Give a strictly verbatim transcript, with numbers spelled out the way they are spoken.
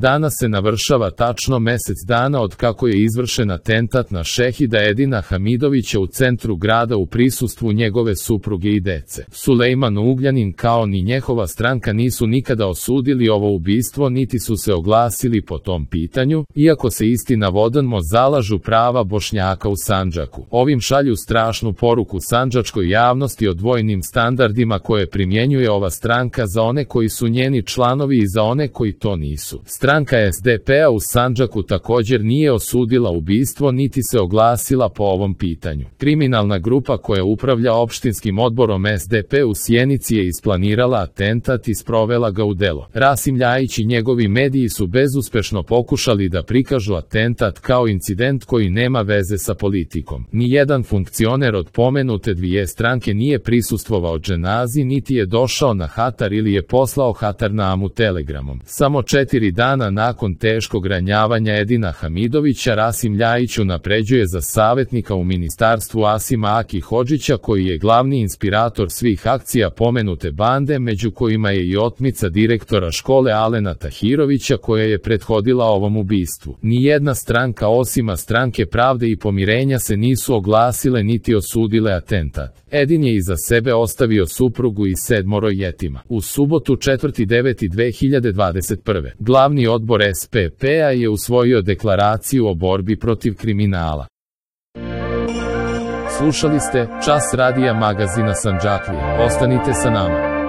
Danas se navršava tačno mesec dana od kako je izvršen atentat na Šehida Edina Hamidovića u centru grada u prisustvu njegove supruge i dece. Sulejman Ugljanin kao ni njegova stranka nisu nikada osudili ovo ubistvo niti su se oglasili po tom pitanju, iako se istina vodano zalažu prava Bošnjaka u Sandžaku. Ovim šalju strašnu poruku sandžačkoj javnosti o dvojnim standardima koje primjenjuje ova stranka za one koji su njeni članovi i za one koji to nisu. Stranka S D P-a u Sandžaku također nije osudila ubistvo niti se oglasila po ovom pitanju. Kriminalna grupa koja upravlja opštinskim odborom S D P u Sjenici je isplanirala atentat i sprovela ga u delo. Rasim Ljajić i njegovi mediji su bezuspešno pokušali da prikažu atentat kao incident koji nema veze sa politikom. Nijedan funkcioner od pomenute dvije stranke nije prisustvovao dženazi niti je došao na hatar ili je poslao hatarnamu telegramom. Samo četiri dana nakon teškog ranjavanja Edina Hamidovića Rasim Ljajić unapređuje za savjetnika u ministarstvu Asima Aki Hodžića koji je glavni inspirator svih akcija pomenute bande, među kojima je i otmica direktora škole Alena Tahirovića koja je prethodila ovom ubistvu. Nijedna stranka osima stranke Pravde i pomirenja se nisu oglasile niti osudile atentat. Edin je iza sebe ostavio suprugu i sedmoro jetima. U subotu četvrti deveti dve hiljade dvadeset prve. Glavni odbor S P P-a je usvojio deklaraciju o borbi protiv kriminala. Slušali ste Čas radija magazina Sandžaklije. Ostanite sa nama.